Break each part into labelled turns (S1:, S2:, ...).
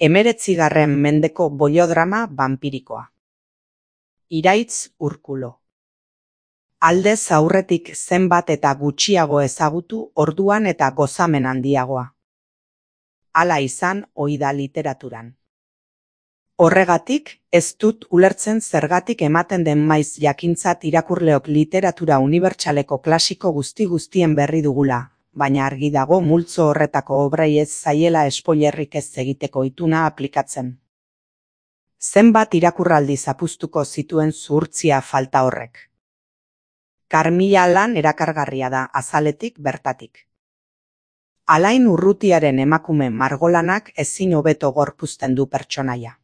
S1: 19. mendeko boliodrama banpirikoa. Iraitz Urkulo. Aldez aurretik zenbat eta gutxiago ezagutu orduan eta gozamen handiagoa. Hala izan ohi da literaturan. Horregatik, ez dut ulertzen zergatik ematen den maiz jakintzat irakurleok literatura unibertsaleko klasiko guztien berri dugula, baina argi dago multzo horretako obrai ez zaiela spoilerrik ez egiteko ituna aplikatzen. Zenbat irakurraldi zapuztuko zituen zuhurtzia falta horrek. Karmila lan erakargarria da azaletik bertatik. Alain Urrutiaren emakume margolanak ezin hobeto gorpuzten du pertsonaia.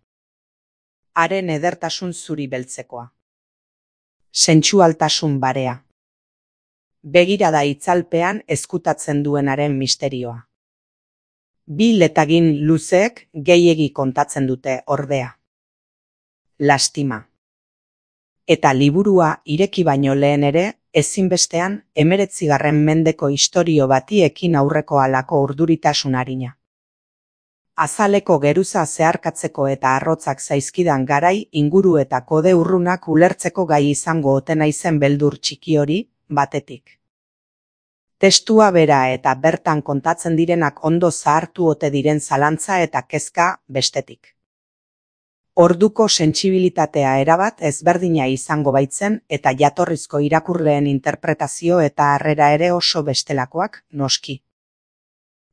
S1: Haren edertasun zuri beltzekoa. Sentsualtasun barea. Begirada itzalpean ezkutatzen duenaren misterioa. Bi letagin luzeek gehiegi kontatzen dute ordea. Lastima. Eta liburua ireki baino lehen ere, ezinbestean 19. mendeko istorio bati ekin aurreko halako urduritasun arina. Azaleko geruza zeharkatzeko eta arrotzak zaizkidan garai inguru eta kode urrunak ulertzeko gai izango ote naizen beldur txiki hori, batetik. Testua bera eta bertan kontatzen direnak ondo zahartu ote diren zalantza eta kezka bestetik. Orduko sentsibilitatea erabat ezberdina izango baitzen eta jatorrizko irakurleen interpretazio eta harrera ere oso bestelakoak, noski.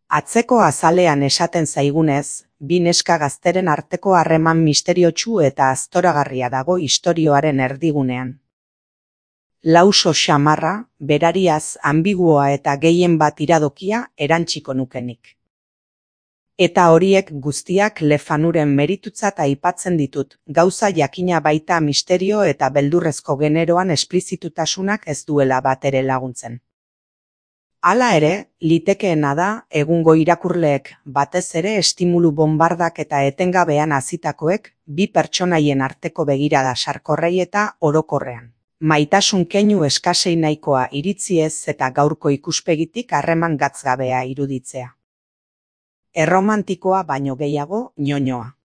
S1: Atzeko azalean esaten zaigunez, bi neska gazteren arteko harreman misteriotsu eta aztoragarria dago istorioaren erdigunean. Lauso xamarra, berariaz ambiguoa eta gehien bat iradokia erantsiko nukenik. Eta horiek guztiak Le Fanuren meritutzat aipatzen ditut, gauza jakina baita misterio eta beldurrezko generoan esplizitutasunak ez duela bat ere laguntzen. Hala ere, litekeena da egungo irakurleek batez ere estimulu bonbardak eta etengabean hazitakoek bi pertsonaien arteko begirada sarkorrei eta orokorrean. Maitasun keinu eskasei nahikoa iritziez eta gaurko ikuspegitik harreman gatzgabea iruditzea. Erromantikoa baino gehiago ñoñoa.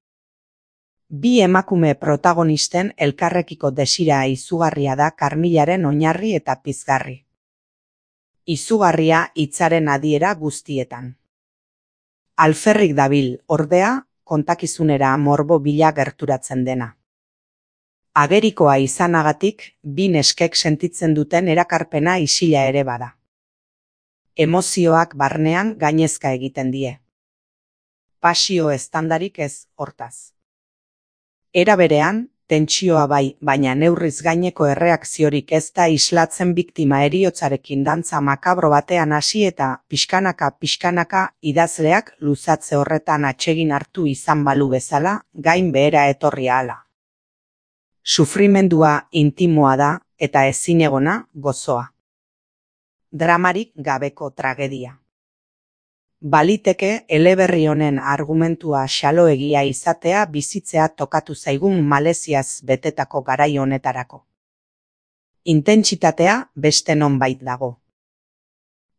S1: Bi emakume protagonisten elkarrekiko desira izugarria da Karmilaren oinarri eta pizgarri. Izugarria hitzaren adiera guztietan. Alferrik dabil, ordea, kontakizunera morbo bila gerturatzen dena. Agerikoa izanagatik, bi neskek sentitzen duten erakarpena isila ere bada. Emozioak barnean gainezka egiten die. Pasio estandarik ez hortaz. Era berean, tentsioa bai, baina neurriz gaineko erreakziorik ez da islatzen biktima heriotzarekin dantza makabro batean hasi eta pixkanaka idazleak luzatze horretan atsegin hartu izan balu bezala, gain behera etorri ahala. Sufrimendua intimoa da eta ezinegona gozoa. Dramarik gabeko tragedia. Baliteke eleberri honen argumentua xaloegia izatea bizitzea tokatu zaigun maleziaz betetako garai honetarako. Intentsitatea beste nonbait dago.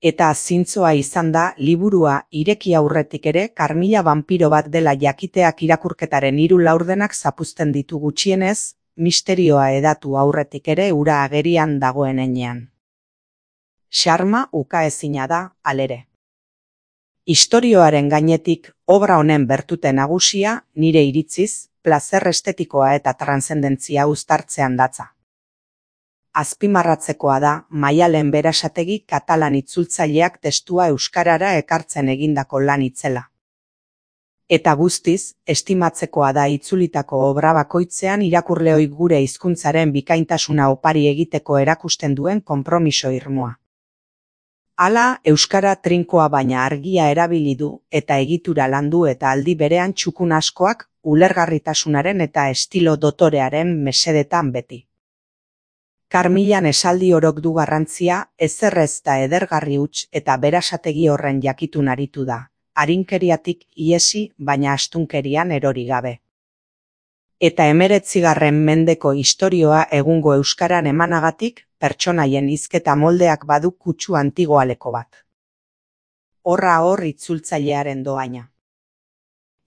S1: Eta zintzoa izan da liburua ireki aurretik ere Karmila banpiro bat dela jakiteak irakurketaren 3 laurdenak zapuzten ditu gutxienez, misterioa edatu aurretik ere ura agerian dagoen heinean. Xarma ukaezina da, halere. Istorioaren gainetik, obra honen bertute nagusia, nire iritziz, plazer estetikoa eta transzendentzia uztartzean datza. Azpimarratzekoa da, Maialen Berasategi katalan itzultzaileak testua euskarara ekartzen egindako lan itzela. Eta guztiz, estimatzekoa da itzulitako obra bakoitzean irakurleoi gure hizkuntzaren bikaintasuna opari egiteko erakusten duen konpromiso irmoa. Hala, euskara trinkoa baina argia erabili du eta egitura landu eta aldi berean txukun askoak ulergarritasunaren eta estilo dotorearen mesedetan beti. Karmilan esaldi orok du garrantzia, ezerrez da edergarri huts eta Berasategi horren jakitun aritu da, arinkeriatik iesi baina astunkerian erori gabe. Eta 19. mendeko istorioa egungo euskaran emanagatik, pertsonaien hizketa moldeak badu kutsu antigoaleko bat. Horra hor itzultzailearen doaina.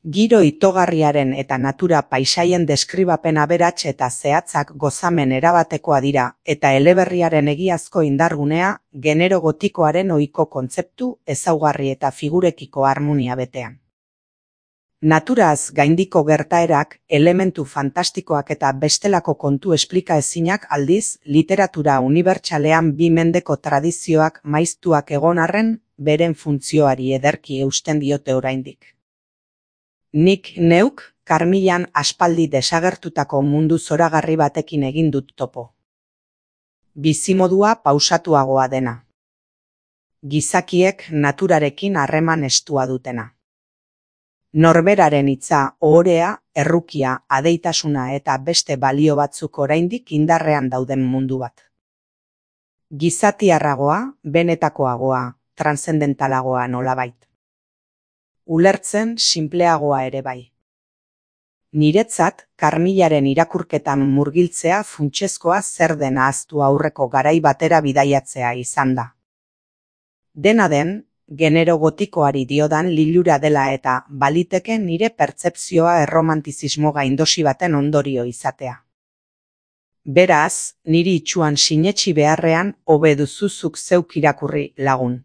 S1: Giro itogarriaren eta natura paisaien deskribapen aberats eta zehatzak gozamen erabatekoa dira, eta eleberriaren egiazko indargunea, genero gotikoaren ohiko kontzeptu, ezaugarri eta figurekiko harmonia betean. Naturaz gaindiko gertaerak, elementu fantastikoak eta bestelako kontu esplikaezinak aldiz, literatura unibertsalean bi mendeko tradizioak maiztuak egon arren, beren funtzioari ederki eusten diote oraindik. Nik neuk, Karmilan aspaldi desagertutako mundu zoragarri batekin egin dut topo. Bizimodua pausatuagoa dena. Gizakiek naturarekin harreman estua dutena. Norberaren hitza, ohorea, errukia, adeitasuna eta beste balio batzuk oraindik indarrean dauden mundu bat. Gizatiarragoa, benetakoagoa, transzendentalagoa nolabait. Ulertzen sinpleagoa ere bai. Niretzat, Karmilaren irakurketan murgiltzea funtsezkoa zer den ahaztu aurreko garai batera bidaiatzea izan da. Dena den, genero gotikoari diodan lilura dela eta baliteke nire pertzepzioa erromantizismo gaindosi baten ondorio izatea. Beraz, niri itsuan sinetsi beharrean hobe duzu zuk zeuk irakurri, lagun.